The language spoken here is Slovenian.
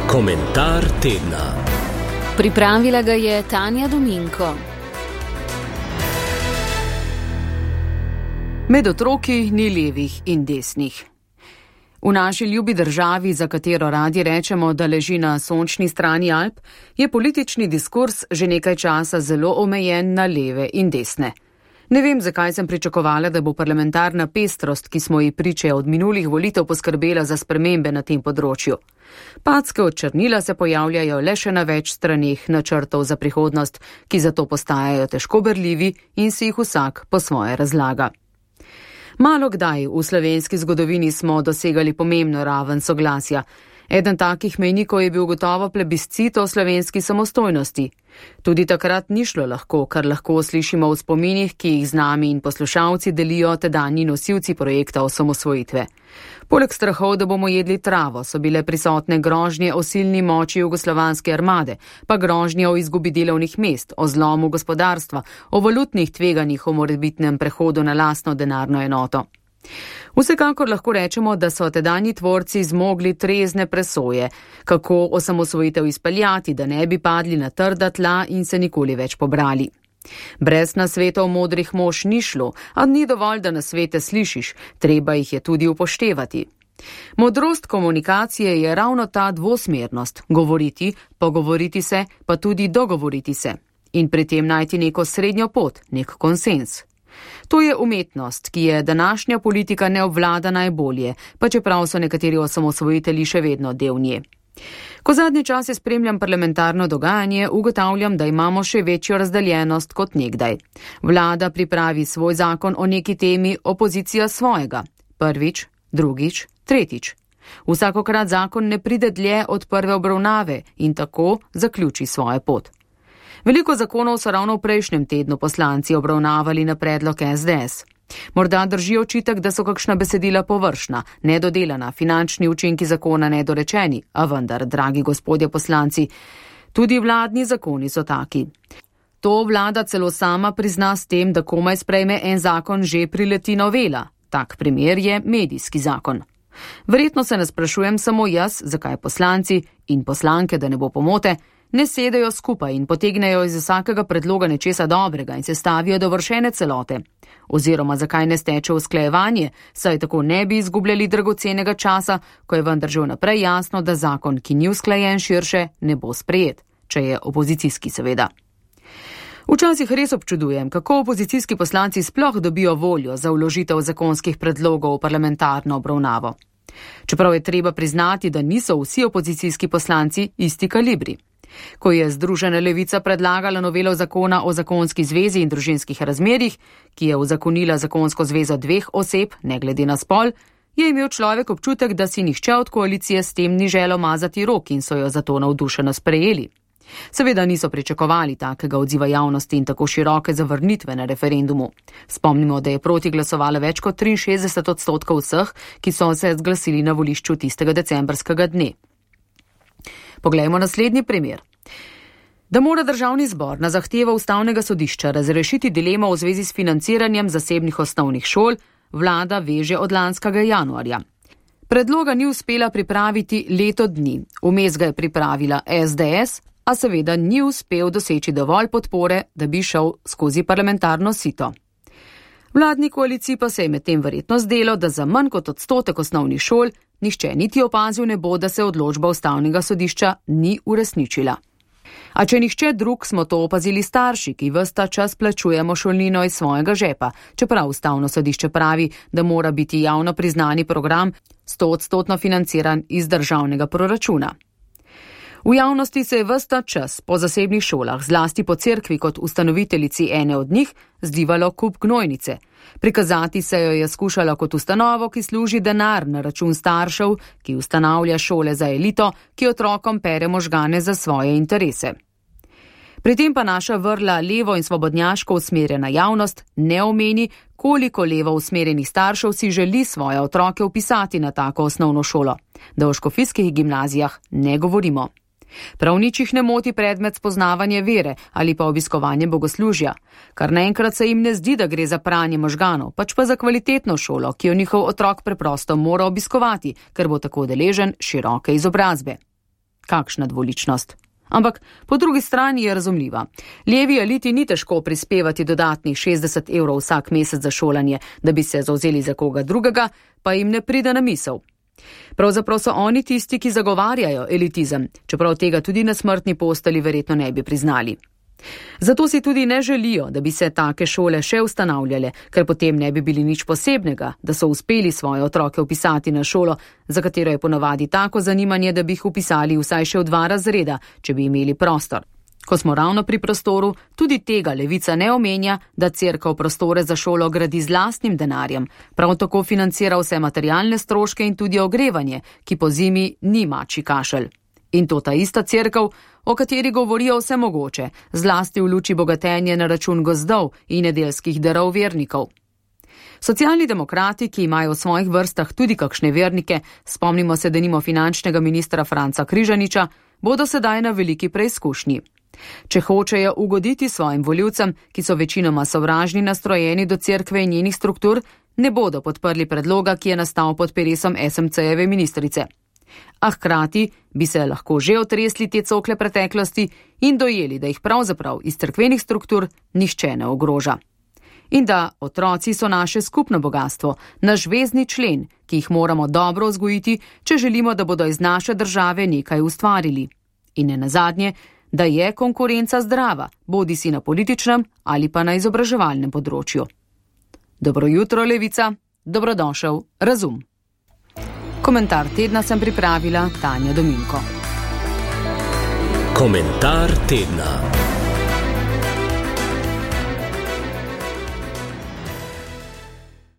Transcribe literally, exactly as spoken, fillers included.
Komentar tedna. Pripravila ga je Tanja Dominko. Med otroki ni levih in desnih. V naši ljubi državi, za katero radi rečemo, da leži na sončni strani Alp, je politični diskurs že nekaj časa zelo omejen na leve in desne. Ne vem, zakaj sem pričakovala, da bo parlamentarna pestrost, ki smo ji priče od minulih volitev, poskrbela za spremembe na tem področju. Packe od črnila se pojavljajo le še na več straneh načrtov za prihodnost, ki zato postajajo težko berljivi in si jih vsak po svoje razlaga. Malo kdaj v slovenski zgodovini smo dosegali pomembno raven soglasja. Eden takih mejnikov je bil gotovo plebiscit o slovenski samostojnosti. Tudi takrat ni šlo lahko, kar lahko slišimo v spominih, ki jih z nami in poslušalci delijo tedanji nosilci projekta osamosvojitve. Poleg strahov, da bomo jedli travo, so bile prisotne grožnje o silni moči jugoslovanske armade, pa grožnje o izgubi delovnih mest, o zlomu gospodarstva, o valutnih tveganjih, o morebitnem prehodu na lastno denarno enoto. Vsekakor lahko rečemo, da so tedanji tvorci zmogli trezne presoje, kako osamosvojitev izpeljati, da ne bi padli na trda tla in se nikoli več pobrali. Brez nasvetov modrih mož ni šlo, a ni dovolj, da nasvete slišiš, treba jih je tudi upoštevati. Modrost komunikacije je ravno ta dvosmernost, govoriti, pogovoriti se, pa tudi dogovoriti se. In pri tem najti neko srednjo pot, nek konsens. To je umetnost, ki je današnja politika ne obvlada najbolje, pa čeprav so nekateri osamosvojitelji še vedno del nje. Ko zadnje čase spremljam parlamentarno dogajanje, ugotavljam, da imamo še večjo razdeljenost kot nekdaj. Vlada pripravi svoj zakon o neki temi, opozicija svojega. Prvič, drugič, tretjič. Vsakokrat zakon ne pride dlje od prve obravnave in tako zaključi svojo pot. Veliko zakonov so ravno v prejšnjem tednu poslanci obravnavali na predlog es de es. Morda drži očitek, da so kakšna besedila površna, nedodelana, finančni učinki zakona nedorečeni, a vendar, dragi gospodje poslanci, tudi vladni zakoni so taki. To vlada celo sama prizna s tem, da komaj sprejme en zakon, že prileti novela. Tak primer je medijski zakon. Verjetno se ne sprašujem samo jaz, zakaj poslanci in poslanke, da ne bo pomote, ne sedejo skupaj in potegnejo iz vsakega predloga nečesa dobrega in se stavijo dovršene celote. Oziroma zakaj ne steče usklajevanje, saj tako ne bi izgubljali dragocenega časa, ko je vendar že vnaprej jasno, da zakon, ki ni usklajen širše, ne bo sprejet, če je opozicijski seveda. Včasih res občudujem, kako opozicijski poslanci sploh dobijo voljo za vložitev zakonskih predlogov v parlamentarno obravnavo. Čeprav je treba priznati, da niso vsi opozicijski poslanci isti kalibri. Ko je Združena levica predlagala novelo zakona o zakonski zvezi in družinskih razmerjih, ki je uzakonila zakonsko zvezo dveh oseb, ne glede na spol, je imel človek občutek, da si nihče od koalicije s tem ni želel mazati rok in so jo zato navdušeno sprejeli. Seveda niso pričakovali takega odziva javnosti in tako široke zavrnitve na referendumu. Spomnimo, da je proti glasovalo več kot triinšestdeset odstotkov vseh, ki so se zglasili na volišču tistega decembrskega dne. Poglejmo naslednji primer. Da mora državni zbor na zahtevo ustavnega sodišča razrešiti dilemo v zvezi s financiranjem zasebnih osnovnih šol, vlada veže od lanskega januarja. Predloga ni uspela pripraviti leto dni, vmes ga je pripravila es de es, a seveda ni uspel doseči dovolj podpore, da bi šel skozi parlamentarno sito. Vladni koaliciji pa se je medtem verjetno zdelo, da za manj kot odstotek osnovnih šol nihče niti opazil ne bo, da se odločba ustavnega sodišča ni uresničila. A če nihče drug, smo to opazili starši, ki ves ta čas plačujemo šolnino iz svojega žepa, čeprav ustavno sodišče pravi, da mora biti javno priznani program stoodstotno financiran iz državnega proračuna. V javnosti se je ves ta čas po zasebnih šolah, zlasti po cerkvi kot ustanoviteljici ene od njih, zdivalo kup gnojnice. Prikazati se jo je skušala kot ustanovo, ki služi denar na račun staršev, ki ustanavlja šole za elito, ki otrokom pere možgane za svoje interese. Pri tem pa naša vrla levo in svobodnjaško usmerjena javnost ne omeni, koliko levo usmerjenih staršev si želi svoje otroke vpisati na tako osnovno šolo. Da o škofijskih gimnazijah ne govorimo. Prav nič jih ne moti predmet spoznavanje vere ali pa obiskovanje bogoslužja, kar naenkrat se jim ne zdi, da gre za pranje možganov, pač pa za kvalitetno šolo, ki jo njihov otrok preprosto mora obiskovati, ker bo tako deležen široke izobrazbe. Kakšna dvoličnost. Ampak po drugi strani je razumljiva. Levi eliti ni težko prispevati dodatnih šestdeset evrov vsak mesec za šolanje, da bi se zavzeli za koga drugega, pa jim ne pride na misel. Pravzaprav so oni tisti, ki zagovarjajo elitizem, čeprav tega tudi na smrtni posteli verjetno ne bi priznali. Zato si tudi ne želijo, da bi se take šole še ustanavljale, ker potem ne bi bili nič posebnega, da so uspeli svoje otroke upisati na šolo, za katero je ponavadi tako zanimanje, da bi jih upisali vsaj še v dva razreda, če bi imeli prostor. Ko smo ravno pri prostoru, tudi tega Levica ne omenja, da cerkev prostore za šolo gradi z lastnim denarjem, prav tako financira vse materialne stroške in tudi ogrevanje, ki po zimi ni mačji kašelj. In to ta ista cerkev, o kateri govorijo vse mogoče, zlasti v luči bogatenja na račun gozdov in nedeljskih darov vernikov. Socialni demokrati, ki imajo v svojih vrstah tudi kakšne vernike, spomnimo se denimo finančnega ministra Franca Križaniča, bodo sedaj na veliki preizkušnji. Če hočejo ugoditi svojim volivcem, ki so večinoma sovražni nastrojeni do cerkve in njenih struktur, ne bodo podprli predloga, ki je nastal pod peresom es em ce-jeve ministrice. A hkrati bi se lahko že otresli te cokle preteklosti in dojeli, da jih pravzaprav iz cerkvenih struktur nihče ne ogroža. In da otroci so naše skupno bogatstvo, naš vezni člen, ki jih moramo dobro vzgojiti, če želimo, da bodo iz naše države nekaj ustvarili. In ne nazadnje, da je konkurenca zdrava, bodi si na političnem ali pa na izobraževalnem področju. Dobro jutro, Levica, dobrodošel Razum. Komentar tedna sem pripravila Tanja Dominko. Komentar tedna.